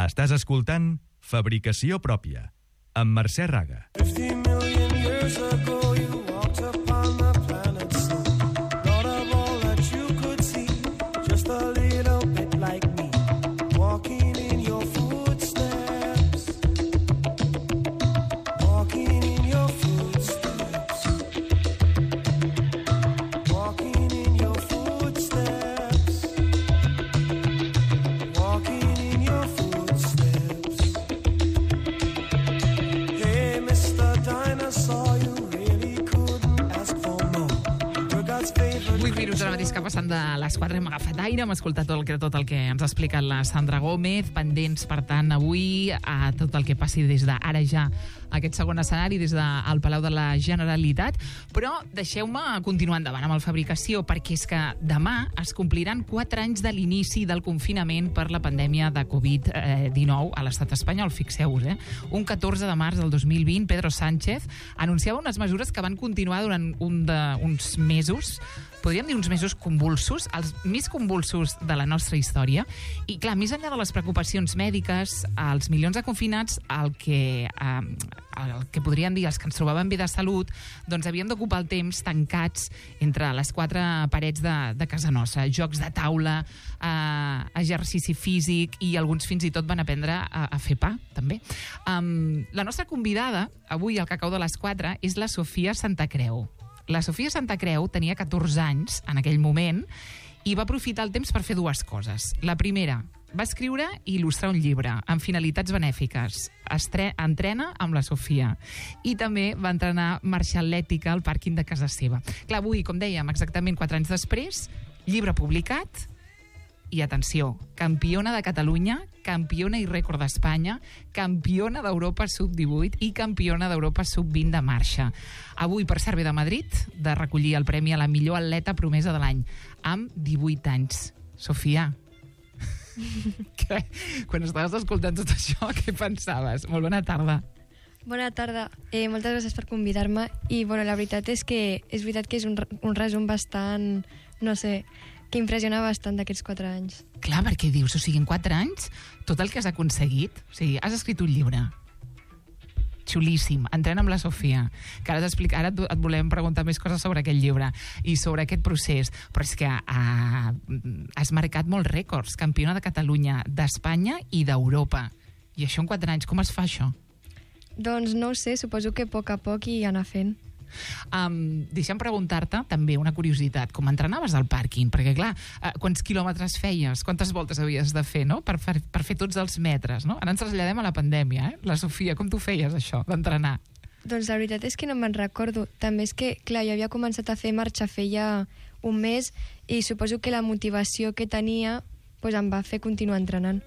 Estàs escoltant Fabricació Pròpia, amb Mercè Raga. 50 million years ago you walked upon the planet so not of all that you could see, just a little bit like me, walking in your footsteps, walking in your footsteps, walking in your footsteps, walking in your footsteps. Hey, Mr. Dinosaur, you really couldn't ask for more. You're God's favorite. 8 minuts ara mateix que passen de les 4 hem agafat aire, hem escoltat tot el que ens ha explicat la Sandra Gómez, pendents, per tant, avui a tot el que passi des d'ara ja aquest segon escenari, des del Palau de la Generalitat. Però deixeu-me continuar endavant amb el Fabricació, perquè és que demà es compliran 4 anys de l'inici del confinament per la pandèmia de Covid-19 a l'estat espanyol, fixeu-vos, Un 14 de març del 2020, Pedro Sánchez anunciava unes mesures que van continuar durant uns mesos, podríem dir uns mesos convulsos, els més convulsos de la nostra història. I clar, més enllà de les preocupacions mèdiques, els milions de confinats, el que podríem dir els que ens trobaven bé de salut, doncs havien d'ocupar el temps tancats entre les 4 parets de casa nostra. Jocs de taula, exercici físic i alguns fins i tot van aprendre a fer pa, també. La nostra convidada avui al Cacau de les 4 és la Sofia Santacreu. La Sofia Santacreu tenia 14 anys en aquell moment i va aprofitar el temps per fer 2 coses. La primera, va escriure i il·lustrar un llibre amb finalitats benèfiques. Entrena amb la Sofia. I també va entrenar marxa atlètica al pàrquing de casa seva. Clar, avui, com dèiem, exactament 4 anys després, llibre publicat i, atenció, campiona de Catalunya, campiona i rècord d'Espanya, campiona d'Europa sub-18 i campiona d'Europa sub-20 de marxa. Avui, per cert, ve de Madrid, de recollir el premi a la millor atleta promesa de l'any, amb 18 anys. Sofia, quan estaves escoltant tot això, què pensaves? Molt bona tarda. Bona tarda. Moltes gràcies per convidar-me. I la veritat és que és un resum bastant, no sé, que impressiona bastant d'aquests 4 anys. Clar, perquè dius, o sigui, en 4 anys, tot el que has aconseguit, o sigui, has escrit un llibre xulíssim, Entrena amb la Sofia, que ara et volem preguntar més coses sobre aquest llibre i sobre aquest procés, però és que has marcat molts rècords, campiona de Catalunya, d'Espanya i d'Europa. I això en 4 anys, com es fa això? Doncs no ho sé, suposo que a poc i anar fent. Deixa'm preguntar-te també una curiositat, com entrenaves al pàrquing? Perquè clar, quants quilòmetres feies, quantes voltes havies de fer, no? per fer tots els metres, no? Ara ens traslladem a la pandèmia, La Sofia, com tu feies això, d'entrenar? Doncs la veritat és que no me'n recordo. També és que, clar, jo havia començat a fer marxa feia un mes i suposo que la motivació que tenia em va fer continuar entrenant.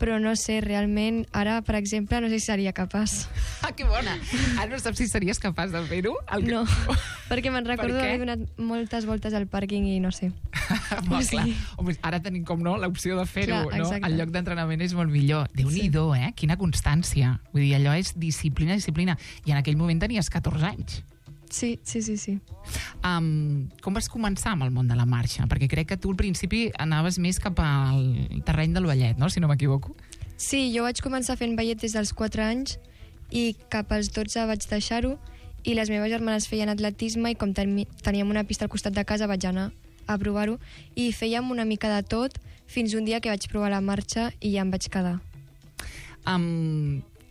Però no sé, realment, ara, per exemple, no sé si seria capaç. Que bona! Ara no saps si series capaç de fer-ho? No, perquè me'n recordo haver donat moltes voltes al pàrquing i no sé. Clar. Home, ara tenim, com no, l'opció de fer-ho, no? Exacte. El lloc d'entrenament és molt millor. Déu-n'hi-do, Quina constància. Vull dir, allò és disciplina. I en aquell moment tenies 14 anys. Sí. Com vas començar amb el món de la marxa? Perquè crec que tu al principi anaves més cap al terreny del ballet, no? Si no m'equivoco. Sí, jo vaig començar fent ballet des dels 4 anys i cap als 12 vaig deixar-ho i les meves germanes feien atletisme i com teníem una pista al costat de casa vaig anar a provar-ho i fèiem una mica de tot fins un dia que vaig provar la marxa i ja em vaig quedar.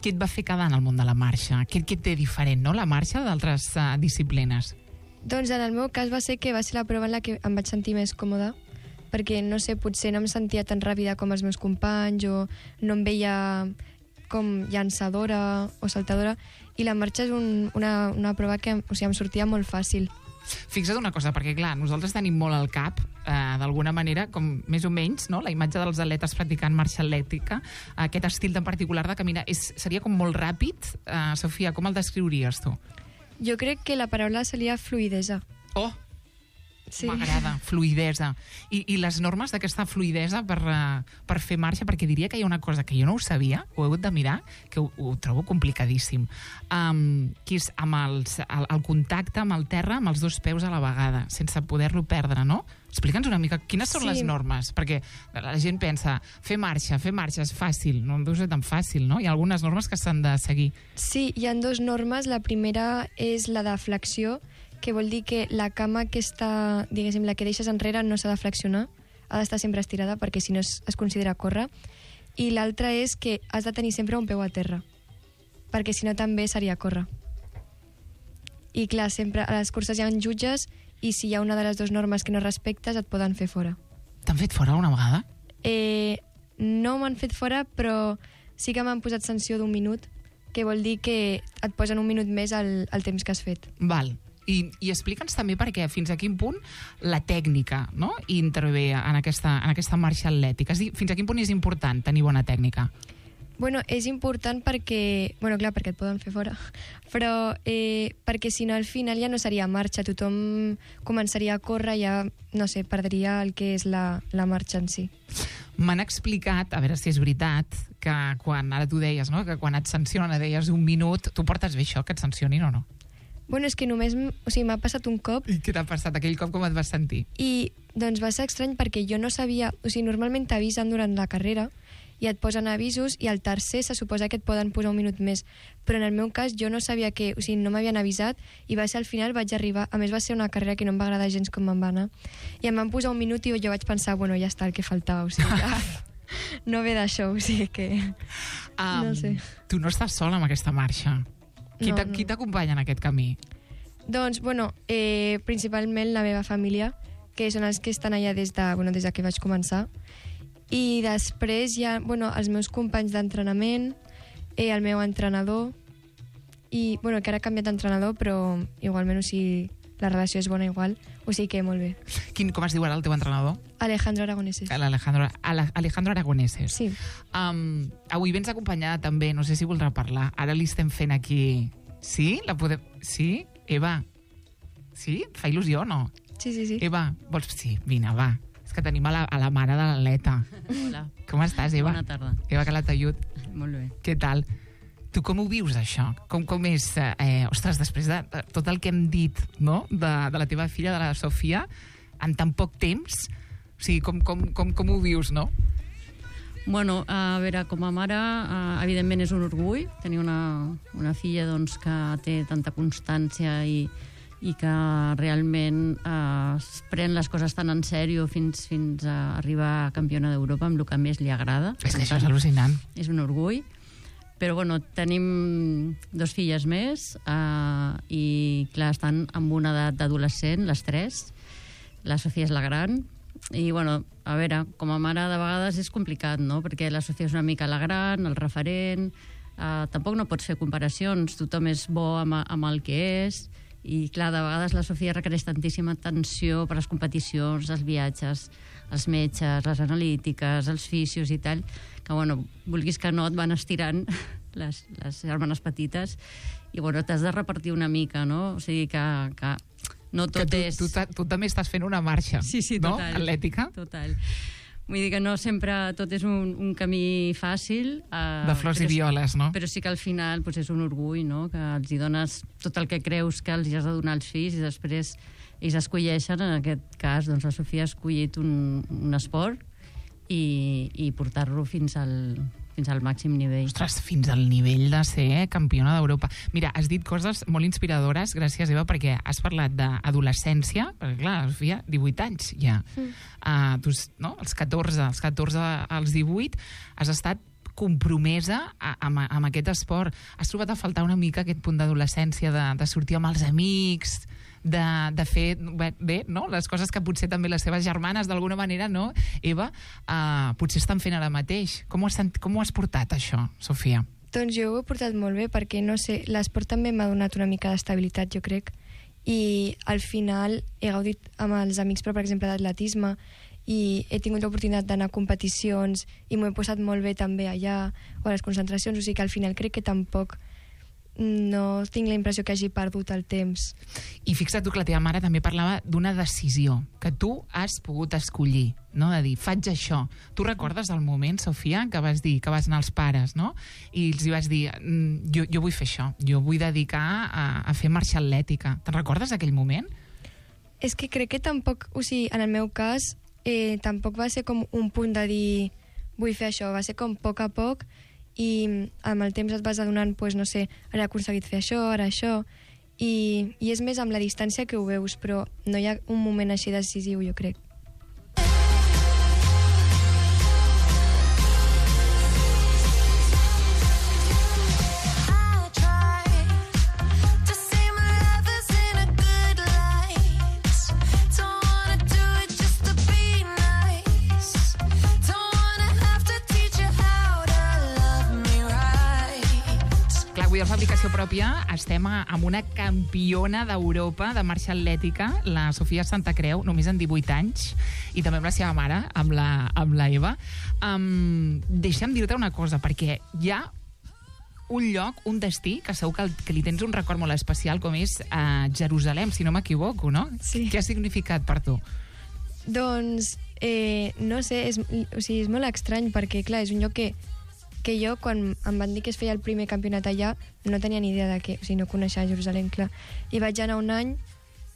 Què et va fer quedar en el món de la marxa? Què et té diferent, no?, la marxa d'altres disciplines? Doncs en el meu cas va ser la prova en la que em vaig sentir més còmoda, perquè, no sé, potser no em sentia tan ràpida com els meus companys o no em veia com llançadora o saltadora, i la marxa és una prova que em sortia molt fàcil. Fixa't una cosa, perquè clar, nosaltres tenim molt al cap, d'alguna manera, com més o menys, no?, la imatge dels atletes practicant marxa atlètica, aquest estil tan particular de caminar, seria com molt ràpid. Sofia, com el descriuries tu? Jo crec que la paraula seria fluidesa. Oh! Sí. M'agrada, fluidesa. I les normes d'aquesta fluidesa per fer marxa, perquè diria que hi ha una cosa que jo no ho sabia, ho he hagut de mirar, que ho trobo complicadíssim, que és amb el contacte amb el terra amb els dos peus a la vegada, sense poder-lo perdre, no? Explica'ns una mica quines són les normes, perquè la gent pensa, fer marxa és fàcil, no deu ser tan fàcil, no? Hi ha algunes normes que s'han de seguir. Sí, hi ha dues normes. La primera és la de flexió, que vol dir que la cama que està, diguéssim, la que deixes enrere no s'ha de flexionar, ha d'estar sempre estirada perquè si no es considera córrer. I l'altra és que has de tenir sempre un peu a terra, perquè si no també seria córrer. I clar, sempre a les curses hi ha jutges i si hi ha una de les dues normes que no respectes et poden fer fora. T'han fet fora una vegada? No m'han fet fora, però sí que m'han posat sanció d'1 minut, que vol dir que et posen 1 minut més al temps que has fet. Val. I explica'ns també perquè fins a quin punt la tècnica, no?, intervé en aquesta marxa atlètica. És a dir, fins a quin punt és important tenir bona tècnica? Bueno, és important perquè... Bueno, clar, perquè et poden fer fora. Però perquè si no, al final ja no seria marxa. Tothom començaria a córrer, ja, no sé, perdria el que és la marxa en si. M'han explicat, a veure si és veritat, que quan, ara tu deies, no?, que quan et sancionen deies 1 minut, tu portes bé això, que et sancionin o no? Bueno, és que només... O sigui, m'ha passat un cop... I què t'ha passat aquell cop, com et vas sentir? I, doncs, va ser estrany perquè jo no sabia... O sigui, normalment t'avisen durant la carrera i et posen avisos i al tercer se suposa que et poden posar 1 minut més. Però en el meu cas jo no sabia que... O sigui, no m'havien avisat i va ser al final, vaig arribar... A més, va ser una carrera que no em va agradar gens com em va anar. I em van posar 1 minut i jo vaig pensar, bueno, ja està el que faltava. O sigui, ja... no ve d'això, o sigui que... no sé. Tu no estàs sola amb aquesta marxa. Qui t'acompanya en aquest camí? Doncs, bueno, principalment la meva família, que són els que estan allà des de que vaig començar. I després hi ha, bueno, els meus companys d'entrenament, el meu entrenador, i, bueno, que ara ha canviat d'entrenador, però igualment, o sigui, la relació és bona igual, o sigui que molt bé. Com es diu ara el teu entrenador? Alejandro Aragoneses. Alejandro Aragoneses. Sí. Avui vens acompanyada també, no sé si voldrà parlar. Ara li estem fent aquí... Sí? Sí? Eva? Sí? Et fa il·lusió o no? Sí. Eva, vols... Sí, vine, va. És que tenim a la mare de l'Aleta. Hola. Com estàs, Eva? Bona tarda. Eva Calatayud. Molt bé. Què tal? Tu com ho vius, això? Com és... ostres, després de tot el que hem dit, no?, de la teva filla, de la Sofia, en tan poc temps, o sigui, com ho vius, no? Bueno, a veure, com a mare, evidentment és un orgull tenir una filla doncs, que té tanta constància i que realment es pren les coses tan en sèrio fins a arribar a campiona d'Europa amb el que més li agrada. És que això és al·lucinant. És un orgull. Però bueno, tenim 2 filles més i clar, estan amb una edat d'adolescent, les 3. La Sofia és la gran. I bueno, a veure, com a mare de vegades és complicat, no? Perquè la Sofia és una mica la gran, el referent, tampoc no pots fer comparacions, tothom és bo amb el que és, i clar, de vegades la Sofia requereix tantíssima atenció per les competicions, els viatges, els metges, les analítiques, els fisios i tal, que bueno, vulguis que no et van estirant les germanes petites i bueno, t'has de repartir una mica, no? O sigui que no tot és... Tu també estàs fent una marxa, sí, no? Total, Atlètica. Total. Vull dir que no sempre tot és un camí fàcil. De flors i violes, no? Però sí que al final doncs, és un orgull, no?, que els hi dones tot el que creus que els hi has de donar als fills i després ells escolleixen, en aquest cas, doncs la Sofia ha escollit un esport i portar-lo fins al màxim nivell. Ostres, fins al nivell de ser campiona d'Europa. Mira, has dit coses molt inspiradores, gràcies, Eva, perquè has parlat d'adolescència, perquè clar, la Sofia, 18 anys ja. Tu, no? Els 14 als 18 has estat compromesa amb aquest esport. Has trobat a faltar una mica aquest punt d'adolescència, de sortir amb els amics, de fer bé, no?, les coses que potser també les seves germanes d'alguna manera, no, Eva, potser estan fent ara mateix. Com ho has portat, això, Sofia? Doncs jo ho he portat molt bé perquè, no sé, l'esport també m'ha donat una mica d'estabilitat, jo crec, i al final he gaudit amb els amics, però per exemple d'atletisme, i he tingut l'oportunitat d'anar a competicions i m'ho he posat molt bé també allà, o a les concentracions, o sigui que al final crec que tampoc no tinc la impressió que hagi perdut el temps. I fixa't tu que la teva mare també parlava d'una decisió que tu has pogut escollir, no? De dir, faig això. Tu recordes el moment, Sofia, que vas dir, que vas anar als pares, no? I els hi vas dir, jo vull fer això, jo vull dedicar a fer marxa atlètica. Te'n recordes d'aquell moment? És que crec que tampoc, o sigui, en el meu cas, tampoc va ser com un punt de dir vull fer això, va ser com a poc i amb el temps et vas adonant, doncs, no sé, ara he aconseguit fer això, i és més amb la distància que ho veus, però no hi ha un moment així decisiu, jo crec. Avui a Fabricació Pròpia estem amb una campiona d'Europa de marxa atlètica, la Sofia Santacreu, només en 18 anys, i també amb la seva mare, amb la Eva. Deixa'm dir-te una cosa, perquè hi ha un lloc, un destí, que segur que li tens un record molt especial, com és Jerusalem, si no m'equivoco, no? Sí. Què ha significat per tu? Doncs, no sé, és molt estrany, perquè, clar, és un lloc que jo, quan em van dir que es feia el primer campionat allà, no tenia ni idea de què, o sigui, no coneixia Jerusalem, clar. I vaig anar un any,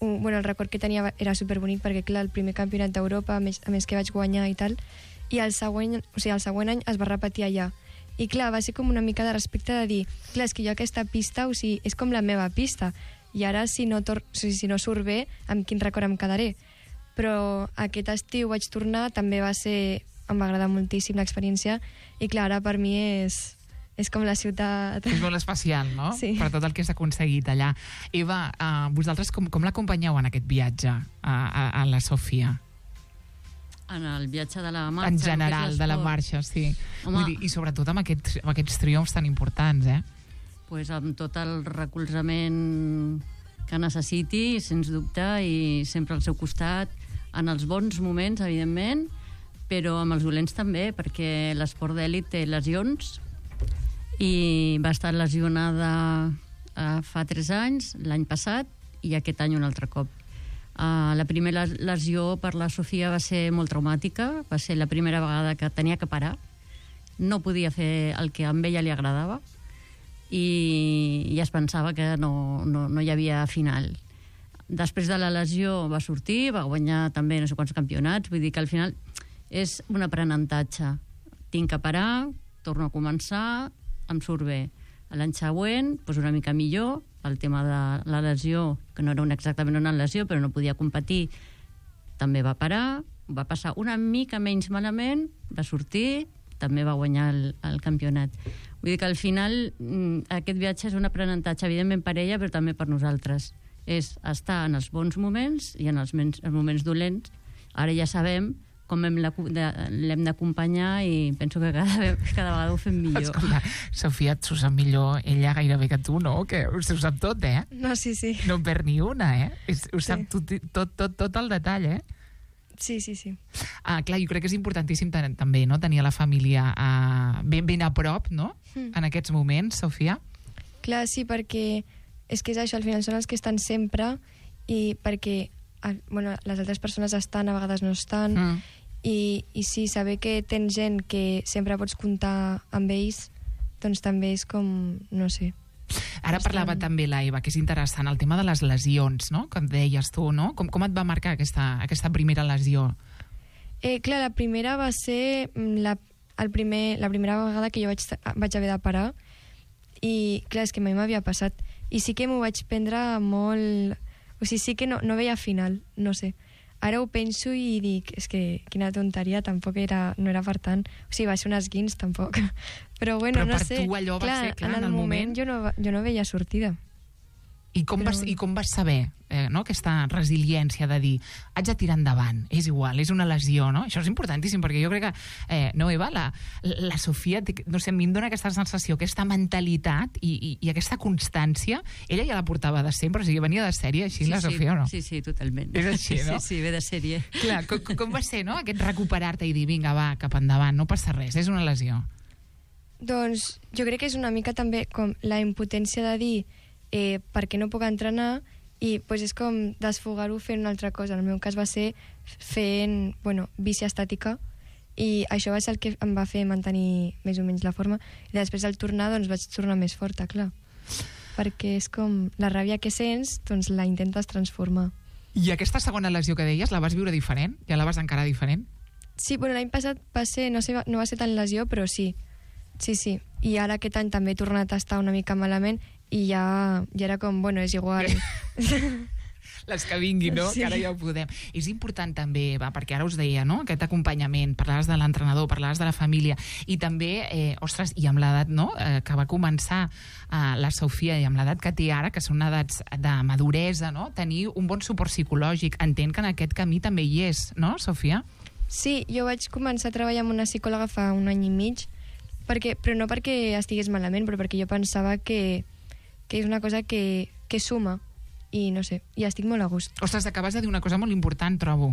el record que tenia era superbonic, perquè, clar, el primer campionat d'Europa, a més que vaig guanyar i tal, i el següent any es va repetir allà. I, clar, va ser com una mica de respecte de dir, clar, és que jo aquesta pista, o sigui, és com la meva pista, i ara, si no surt bé, amb quin record em quedaré. Però aquest estiu vaig tornar, també em va agradar moltíssim l'experiència, i clar, ara per mi és com la ciutat. És molt especial, no? Sí. Per tot el que s'ha aconseguit allà. Eva, vosaltres com l'acompanyeu en aquest viatge a la Sofia? En el viatge de la marxa. En general, de la marxa, sí. Home, vull dir, i sobretot amb aquests triomfs tan importants, Pues amb tot el recolzament que necessiti, sens dubte, i sempre al seu costat, en els bons moments, evidentment, però amb els dolents també, perquè l'esport d'èlit té lesions, i va estar lesionada fa 3 anys, l'any passat, i aquest any un altre cop. La primera lesió per la Sofia va ser molt traumàtica, va ser la primera vegada que tenia que parar, no podia fer el que a ella li agradava, i es pensava que no hi havia final. Després de la lesió va sortir, va guanyar també no sé quants campionats, vull dir que al final és un aprenentatge. Tinc que parar, torno a començar, em surt bé. L'any següent, doncs una mica millor, pel tema de la lesió, que no era exactament una lesió, però no podia competir, també va parar, va passar una mica menys malament, va sortir, també va guanyar el campionat. Vull dir que al final aquest viatge és un aprenentatge, evidentment per ella, però també per nosaltres. És estar en els bons moments i en els moments dolents. Ara ja sabem com l'hem d'acompanyar, i penso que cada vegada ho fem millor. Escolta, Sofia, t'ho sap millor ella gairebé que tu, no? Que ho sap tot, No, sí. No en perd ni una, Ho sap tot el detall, Sí. Clar, jo crec que és importantíssim també, no?, tenir la família ben a prop, no?, en aquests moments, Sofia. Clar, sí, perquè és que és això, al final són els que estan sempre, i perquè les altres persones estan, a vegades no estan, i sí, saber que tens gent que sempre pots comptar amb ells, doncs també és com, no sé. Ara parlava també la Eva, que és interessant, el tema de les lesions, no?, que et deies tu, no? Com et va marcar aquesta primera lesió? Clar, la primera va ser la primera vegada que jo vaig haver de parar, i clar, és que mai m'havia passat, i sí que m'ho vaig prendre molt... O sigui, sí que no veia final, no sé. Ara ho penso i dic, és que quina tonteria, tampoc no era per tant. O sigui, va ser un esguins, tampoc. Però bueno, no sé. Però per tu allò va ser, clar, en el moment jo no veia sortida. I com vas saber, no?, aquesta resiliència de dir, haig de tirar endavant, és igual, és una lesió, no? Això és importantíssim, perquè jo crec que, no, Eva, la Sofia, no sé, a mi em dona aquesta sensació, aquesta mentalitat i aquesta constància, ella ja la portava de sempre, o sigui, venia de sèrie així, la Sofia, o no? Sí, totalment. És així, no? Sí, ve de sèrie. Clar, com va ser, no?, aquest recuperar-te i dir, vinga, va, cap endavant, no passa res, és una lesió. Doncs jo crec que és una mica també com la impotència de dir per què no puc entrenar i pues, és com desfogar-ho fent una altra cosa. En el meu cas va ser fent bici estàtica i això va ser el que em va fer mantenir més o menys la forma i després al tornar doncs vaig tornar més forta, clar, perquè és com la ràbia que sents doncs la intentes transformar. I aquesta segona lesió que deies, la vas viure diferent? Ja la vas encarar diferent? Sí, l'any passat va ser, no va ser tan lesió, però sí. Sí. I ara aquest any també he tornat a estar una mica malament i ja era com, és igual. Les que vinguin, no? Sí. Que ara ja ho podem. És important també, perquè ara us deia, no? Aquest acompanyament, parlaves de l'entrenador, parlaves de la família, i també, i amb l'edat, no? Que va començar la Sofia, i amb l'edat que té ara, que són edats de maduresa, no? Tenir un bon suport psicològic. Entenc que en aquest camí també hi és, no, Sofia? Sí, jo vaig començar a treballar amb una psicòloga fa un any i mig, però no perquè estigués malament, però perquè jo pensava que és una cosa que suma, i no sé, i estic molt a gust. Ostres, acabes de dir una cosa molt important, trobo.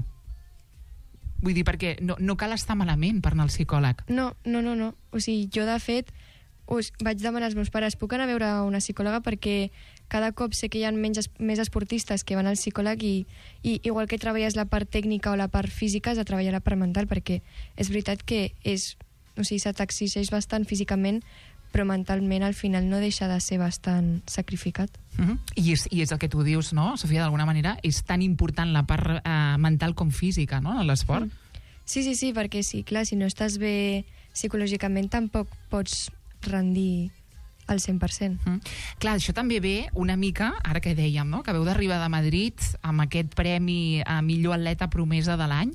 Vull dir, perquè no cal estar malament per anar al psicòleg. No. O sigui, jo, de fet, vaig demanar als meus pares, puc anar a veure una psicòloga perquè cada cop sé que hi ha més esportistes que van al psicòleg i igual que treballes la part tècnica o la part física, has de treballar la part mental, perquè és veritat que se t'exigeix bastant físicament, però mentalment al final no deixa de ser bastant sacrificat. I és el que tu dius, no, Sofia, d'alguna manera és tan important la part mental com física, no, en l'esport? Sí, perquè sí, clar, si no estàs bé psicològicament tampoc pots rendir al 100%. Clar, això també ve una mica, ara que dèiem, no? Que veu d'arribar de Madrid amb aquest premi a millor atleta promesa de l'any.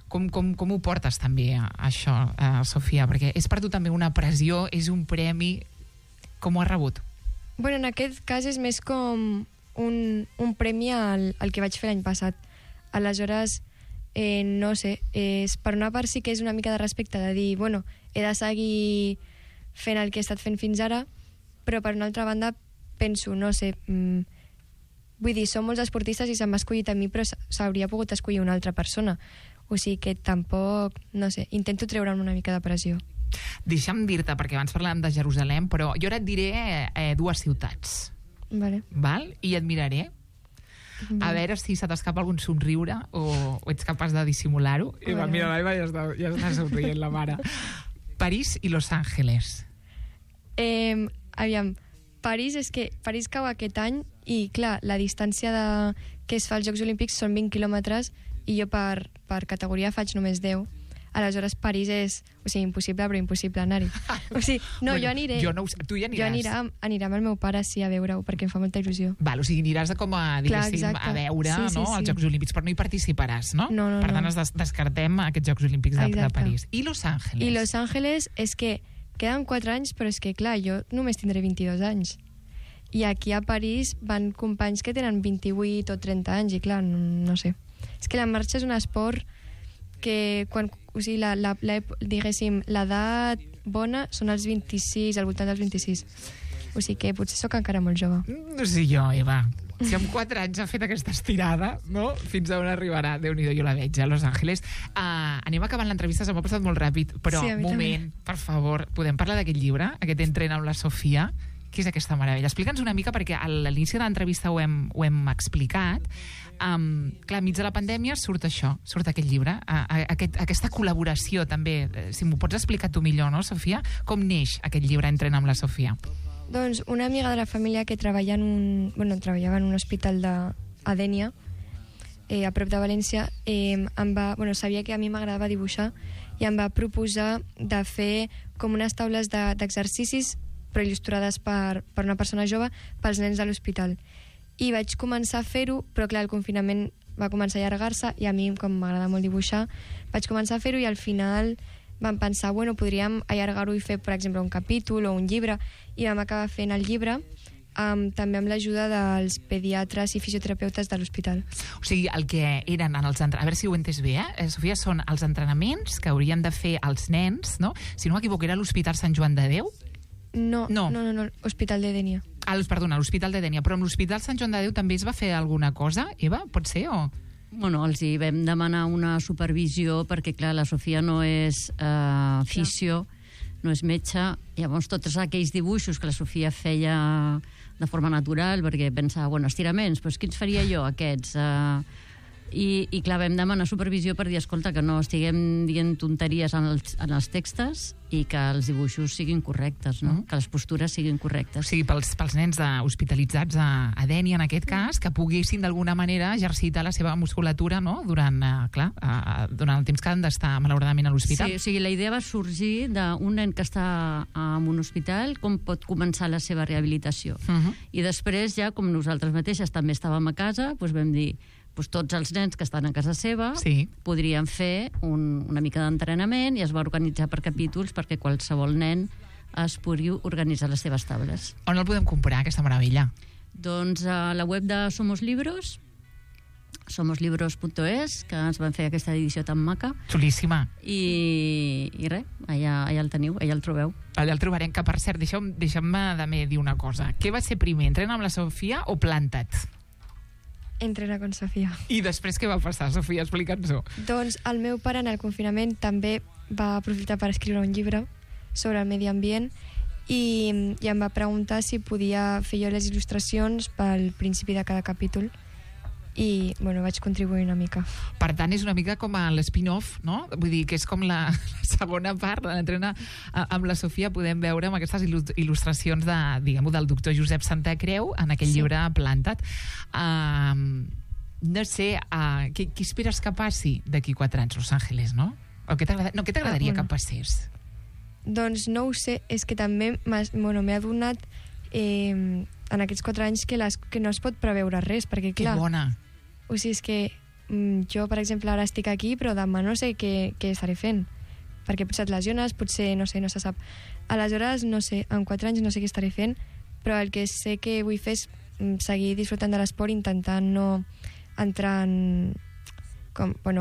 Com ho portes també, això, Sofia? Perquè és per tu també una pressió, és un premi. Com ho has rebut? En aquest cas és més com un premi al que vaig fer l'any passat. Aleshores, no sé, per una part sí que és una mica de respecte de dir, he de seguir fent el que he estat fent fins ara, però per una altra banda penso, no sé, vull dir, som molts esportistes i se m'ha escollit a mi, però s'hauria pogut escollir una altra persona. O sigui que tampoc, no sé, intento treure'm una mica de pressió. Deixa'm dir-te, perquè abans parlàvem de Jerusalem, però jo ara et diré dues ciutats. Vale. Val? I et miraré. A veure si se t'escapa algun somriure o ets capaç de dissimular-ho. Mira, l'Aiva ja està somrient, la mare. París i Los Angeles. Aviam, París cau aquest any i, clar, la distància que es fa als Jocs Olímpics són 20 quilòmetres i jo per categoria faig només 10. Aleshores, París és, impossible, però impossible anar-hi. Jo aniré. Jo no ho sé, tu hi aniràs. Jo aniré amb el meu pare, sí, a veure-ho, perquè em fa molta il·lusió. Val, aniràs a veure els Jocs Olímpics, però no hi participaràs, no? No. Per tant, descartem aquests Jocs Olímpics de París. I Los Angeles? I Los Angeles és que queden 4 anys, però és que, clar, jo només tindré 22 anys. I aquí a París van companys que tenen 28 o 30 anys, i clar, no sé. És que la marxa és un esport que diguéssim, l'edat bona són els 26, al voltant dels 26. O sigui que potser sóc encara molt jove. No sé jo, Eva. Si amb 4 anys ha fet aquesta estirada, no? Fins a on arribarà? Déu-n'hi-do, jo la veig a Los Angeles. Anem acabant l'entrevista, se m'ha passat molt ràpid, però sí, moment, per favor, podem parlar d'aquest llibre, aquest Entrena amb la Sofia? Què és aquesta meravella? Explica'ns una mica, perquè a l'inici de l'entrevista ho hem explicat. Clar, enmig de la pandèmia surt això, surt aquest llibre, aquesta col·laboració també. Si m'ho pots explicar tu millor, no, Sofia? Com neix aquest llibre Entrena amb la Sofia? Doncs una amiga de la família que treballava en un hospital a Dénia, a prop de València, sabia que a mi m'agradava dibuixar i em va proposar de fer com unes taules d'exercicis però il·lustrades per una persona jove pels nens de l'hospital. I vaig començar a fer-ho, però clar, el confinament va començar a allargar-se i a mi, com m'agrada molt dibuixar, vaig començar a fer-ho i al final vam pensar, podríem allargar-ho i fer, per exemple, un capítol o un llibre, i vam acabar fent el llibre també amb l'ajuda dels pediatres i fisioterapeutes de l'hospital. O sigui, el que eren a veure si ho he entès bé, Sofia, són els entrenaments que haurien de fer els nens, no? Si no m'equivoco, era l'Hospital Sant Joan de Déu? No, Hospital de Dénia. Perdona, l'Hospital de Dénia. Però amb l'Hospital Sant Joan de Déu també es va fer alguna cosa, Eva? Pot ser, o...? Els hi vam demanar una supervisió perquè, clar, la Sofia no és fisio, no és metge. Llavors, tots aquells dibuixos que la Sofia feia de forma natural, perquè pensava, bueno, estiraments, doncs quins faria jo, aquests? I clar, vam demanar supervisió per dir, escolta, que no estiguem dient tonteries en els textos i que els dibuixos siguin correctes, no? Que les postures siguin correctes. O sigui, pels nens hospitalitzats a Dénia, en aquest cas, que poguessin d'alguna manera exercitar la seva musculatura, no? Durant el temps que han d'estar, malauradament, a l'hospital. Sí, o sigui, la idea va sorgir d'un nen que està en un hospital, com pot començar la seva rehabilitació. I després, ja, com nosaltres mateixes també estàvem a casa, doncs vam dir, tots els nens que estan a casa seva podrien fer una mica d'entrenament, i es va organitzar per capítols perquè qualsevol nen es pugui organitzar les seves taules. On el podem comprar, aquesta meravella? Doncs a la web de Somos Libros, somoslibros.es, que ens van fer aquesta edició tan maca. Xulíssima. I res, allà el teniu, allà el trobeu. Allà el trobarem, que per cert, deixa'm-me també dir una cosa. Què va ser primer, Entrena amb la Sofia o Planta't? Entrena con Sofia. I després què va passar, Sofia? Explica'ns-ho. Doncs el meu pare en el confinament també va aprofitar per escriure un llibre sobre el medi ambient i em va preguntar si podia fer jo les il·lustracions pel principi de cada capítol i, bueno, vaig contribuir una mica. Per tant, és una mica com l'spin-off, no? Vull dir que és com la segona part de l'Entrena amb la Sofia. Podem veure amb aquestes il·lustracions diguem-ho, del doctor Josep Santacreu en aquell llibre Planta't. No sé, què esperes que passi d'aquí 4 anys, Los Ángeles, no? O què t'agradaria que passés? Doncs no ho sé, és que també m'he adonat en aquests 4 anys que no es pot preveure res, perquè clar... Que bona! O sigui, és que jo, per exemple, ara estic aquí, però demà no sé què estaré fent, perquè potser et lesiones, potser, no sé, no se sap. Aleshores, no sé, en 4 anys no sé què estaré fent, però el que sé que vull fer és seguir disfrutant de l'esport, intentant no entrar en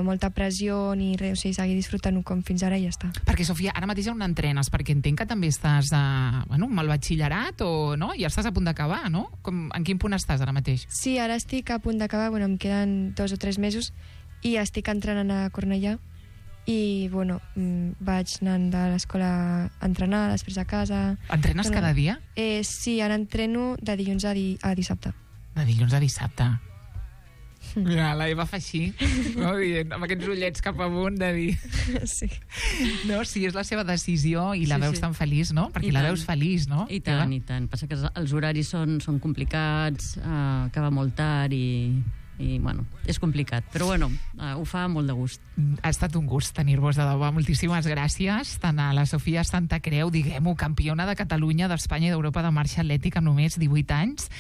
molta pressió ni res, o sigui, seguir disfrutant-ho com fins ara i ja està. Perquè, Sofia, ara mateix on entrenes? Perquè entenc que també estàs amb el batxillerat no? I ja estàs a punt d'acabar, no? En quin punt estàs ara mateix? Sí, ara estic a punt d'acabar, em queden 2 o 3 mesos i estic entrenant a Cornellà i, vaig anant de l'escola a entrenar, després a casa... Entrenes cada dia? Sí, ara entreno de dilluns a dissabte. De dilluns a dissabte. Mira, la Eva fa així, no? Amb aquests ullets cap amunt de dir... Sí. No, sí, és la seva decisió i la veus tan feliç, no? Perquè la veus feliç, no? I tant, i tant. Passa que els horaris són complicats, acaba molt tard i bueno, és complicat. Però bueno, ho fa molt de gust. Ha estat un gust tenir-vos de debò. Moltíssimes gràcies. Tant a la Sofia Santacreu, diguem-ho, campiona de Catalunya, d'Espanya i d'Europa de marxa atlètica amb només 18 anys,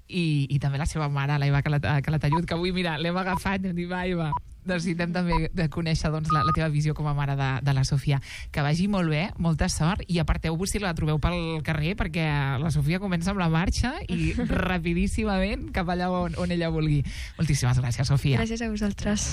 i també la seva mare, l'Eva Calatayud, que avui, mira, l'hem agafat i hem dit, va, Eva, necessitem també de conèixer la teva visió com a mare de la Sofia. Que vagi molt bé, molta sort, i aparteu-vos si la trobeu pel carrer, perquè la Sofia comença amb la marxa i rapidíssimament cap allà on ella vulgui. Moltíssimes gràcies, Sofia. Gràcies a vosaltres.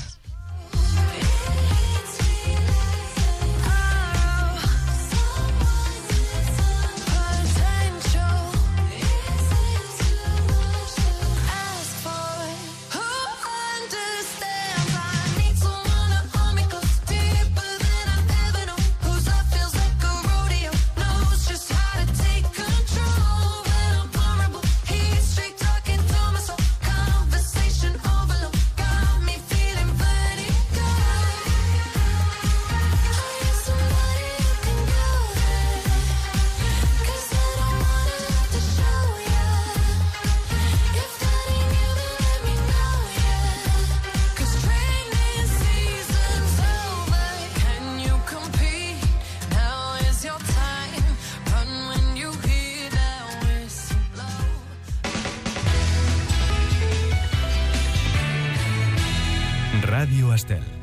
Ràdio Estel.